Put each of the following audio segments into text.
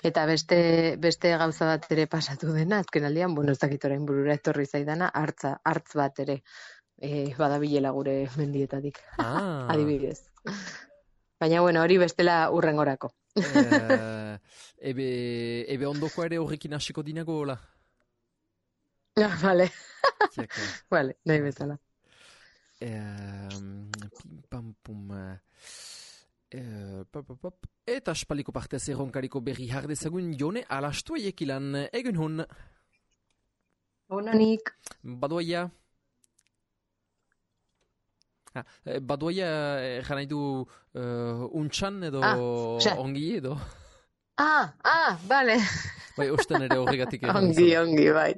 Eta beste gauza bat ere pasatu dena, azken aldian, bueno, ez dakit orain burura etorri zaidana, hartz bat ere badabilela gure mendietatik, Ah, adibidez. Baina, bueno, hori bestela hurrengorako. ebe ondoko ere horrekin hasiko dinago, hola? Vale, Tiaka. vale, nahi bezala. Pim pam pum. Pop, pop, pop. Eta aspaldiko partez erronkariko berri jardezagun Jone alastu ekilan egun hon. Honanik. Badoia. Badoia egan nahi du untxan edo ongi edo. Vale. Bai, osten ere horregatik egan. Ongi, bai.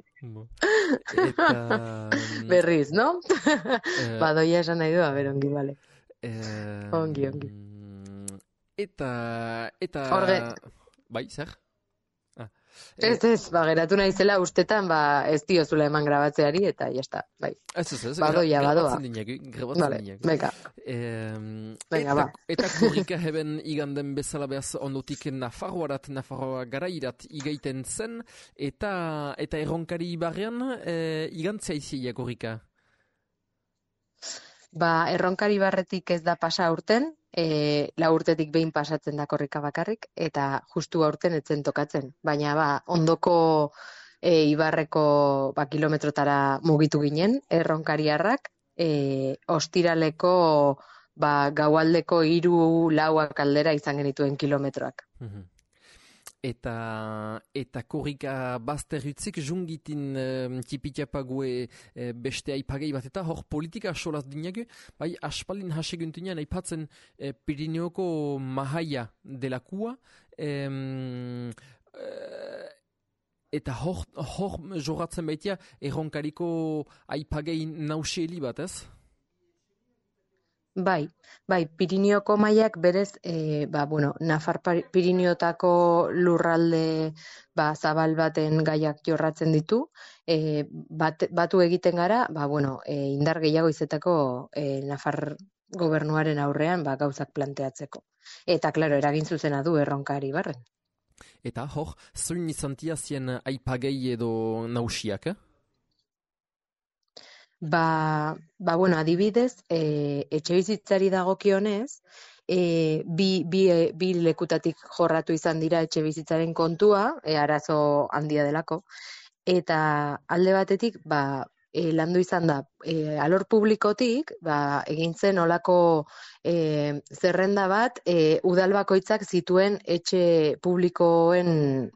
Eta... Berriz, no? Badoia esan nahi du, ongi, bale. Ongi. Eta... Horge. Bai, zer? Ez, geratu naizela ustetan, ez diozula eman grabatzeari, eta jazta, bai. Ez, badoia. Grabatzen dinak. Venga. Venga, ba. Eta korrika heben iganden bezala behaz ondotik Nafarroa garairat igaiten zen, eta erronkari barrean igantzea izia korrika? Erronkari barretik ez da pasa urten, 4 urtetik behin pasatzen da korrika bakarrik, eta justu aurten etzen tokatzen. Baina ondoko ibarreko kilometrotara mugitu ginen, erronkariarrak, ostiraleko gaualdeko 3-4 aldera izan genituen kilometroak. Eta korrika bazterritzik jungitin tipitiapague beste aipagei bat eta hor politika solaz dinagu, bai aspalin haseguntunean aipatzen Pirineoko mahaia delakua, eta hor jorratzen baitia erronkariko aipagei nauseli bat, ez? Bai, Pirineoko mailak berez, Nafar Pirineotako lurralde zabal baten gaiak jorratzen ditu, batu egiten gara, indar gehiago izetako Nafar gobernuaren aurrean gauzak planteatzeko. Eta, klaro, eragin zuzena du erronkari barren. Eta hor, zuin izantia zien aipagei edo nausiak, adibidez, etxe bizitzari dagokionez, bi lekutatik jorratu izan dira etxe bizitzaren kontua, arazo handia delako, eta alde batetik, landu izan da, alor publikotik, egin zen olako zerrenda bat, udal bakoitzak zituen etxe publikoen,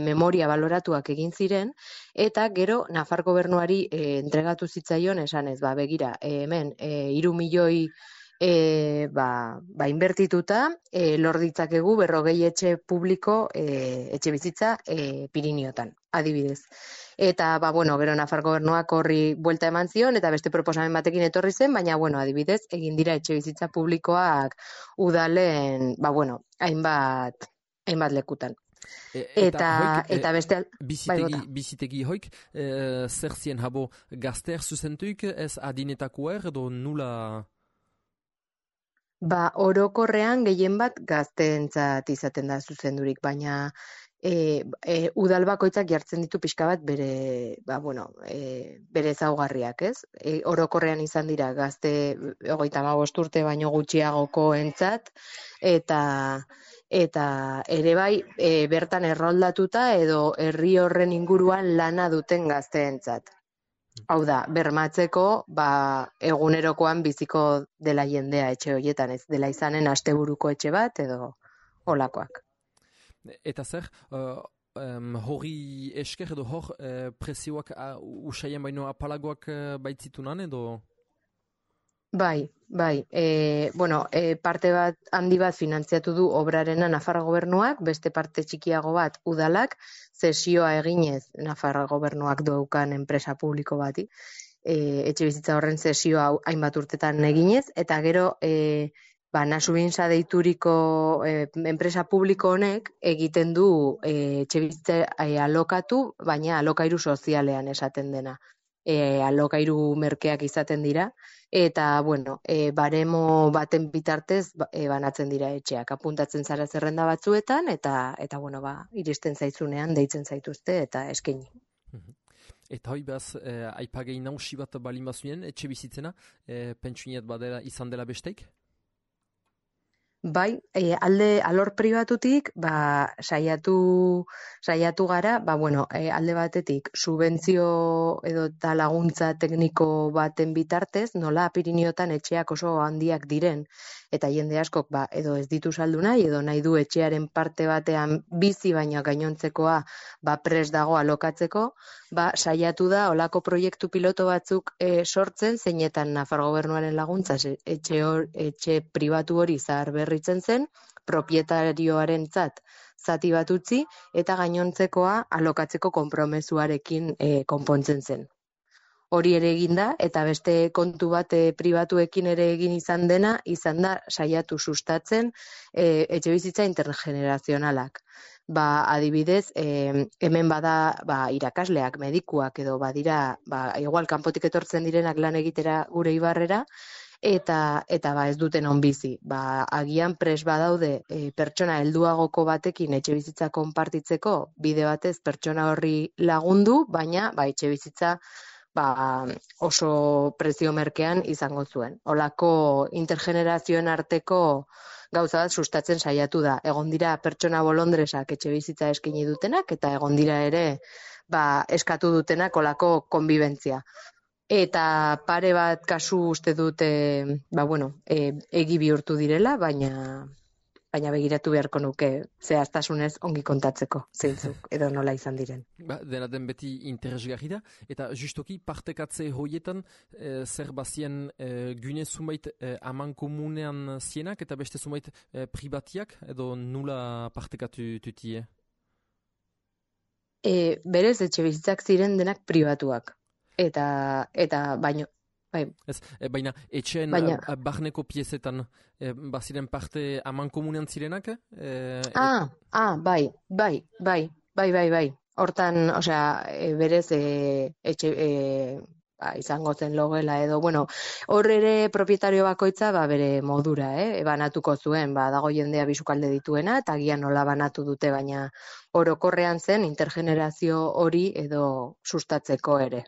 memoria baloratuak egin ziren, eta gero Nafar gobernuari entregatu zitzaion esanez, begira, hemen 3 milioi inbertituta, lor ditzakegu 40 etxe publiko etxe bizitza Pirineotan, adibidez. Eta, gero Nafar gobernuak horri buelta eman zion, eta beste proposamen batekin etorri zen, baina, adibidez, egin dira etxe bizitza publikoak udalen, hainbat lekutan. Eta beste... Bizitegi hoik, zer zien habo gazteak zuzentuik, ez adinetakoer edo nula... Orokorrean gehien bat gazteentzat izaten da zuzendurik, baina udal bakoitzak jartzen ditu pixka bat bere ezaugarriak, ez? Orokorrean izan dira gazte 35 urte baino gutxiagoko entzat, eta ere bai bertan erroldatuta edo herri horren inguruan lana duten gazteentzat. Hau da, bermatzeko, egunerokoan biziko dela jendea etxe horietan, ez dela izanen asteburuko etxe bat edo olakoak. Eta zer, hori esker edo hor prezioak usaien baino apalagoak baitzitunan edo? Bai. Parte bat handi bat finantziatu du obrarena Nafar gobernuak, beste parte txikiago bat udalak, zesioa eginez Nafar gobernuak daukan enpresa publiko bati, etxe bizitza horren zesioa hainbat urtetan eginez, eta gero Nasubinsa deituriko enpresa publiko honek egiten du etxe bizitza alokatu, baina alokairu sozialean esaten dena. alokairu merkeak izaten dira, eta, bueno, baremo baten bitartez banatzen dira etxeak. Apuntatzen zara zerrenda batzuetan, eta bueno, iristen zaizunean deitzen zaituzte eta eskaini. Mhm. Eta hoi behaz, aipagei nausi bat balin bazuen, etxe bizitzena, pentsuniat badela izan dela besteik? Bai, alor pribatutik, saiatu gara, bueno, alde batetik, subentzio edo eta laguntza tekniko baten bitartez, nola Piriniotan etxeak oso handiak diren, eta jende askok, edo ez ditu saldu nahi, edo nahi du etxearen parte batean bizi, baina gainontzekoa, prest dago alokatzeko, saiatu da, olako proiektu piloto batzuk sortzen, zeinetan Nafar Gobernuaren laguntza, etxe pribatu hori zaharberritzen zen, propietarioarentzat zati bat utzi, eta gainontzekoa alokatzeko konpromezuarekin konpontzen zen. Hori ere egin da, eta beste kontu bat pribatuekin ere egin izan da saiatu sustatzen etxebizitza intergenerazionalak. Adibidez, hemen bada irakasleak, medikuak edo badira, igual kanpotik etortzen direnak lan egitera gure Ibarrera, eta ez duten onbizi. Agian pres badaude pertsona helduagoko batekin etxebizitza konpartitzeko, bide batez pertsona horri lagundu, baina etxebizitza oso prezio merkean izango zuen. Olako intergenerazioen arteko gauza bat sustatzen saiatu da. Egon dira pertsona bolondresak etxebizitza eskaini dutenak, eta egon dira ere eskatu dutenak olako konbibentzia. Eta pare bat kasu uste dute, egi bihurtu direla, baina begiratu beharko nuke zehaztasunez ongi kontatzeko zeintzuk edo nola izan diren. Dena den beti interesgarri da, eta justoki partekatze hoietan zer bazien gune zumait aman komunean zienak eta beste zumait pribatiak edo nula partekatu tutie? Berez etxe bizitzak ziren denak pribatuak. Eta baino baina etxeen barneko piezetan baziren parte aman komunean zirenak? Bai. Hortan, berez etxe izango zen logela edo, hor ere propietario bakoitza bere modura, banatuko zuen, dago jendea bisukalde dituena, eta agian nola banatu dute, baina orokorrean zen intergenerazio hori edo sustatzeko ere.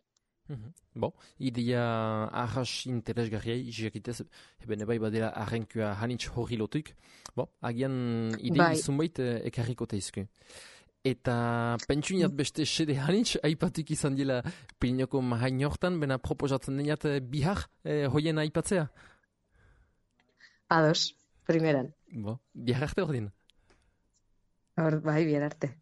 Ideia arras interesgarria izakitez, eben bai badela arrenkua hanitz hori lotuik. Agian idei zunbait ekarriko teizku. Eta pentsuniat beste sede hanitz, aipatuk izan dela Pirinoko mahain hortan, bena proposatzen deniat bihar hoien aipatzea? Ados, primeran. Bihar arte hor din? Bihar arte.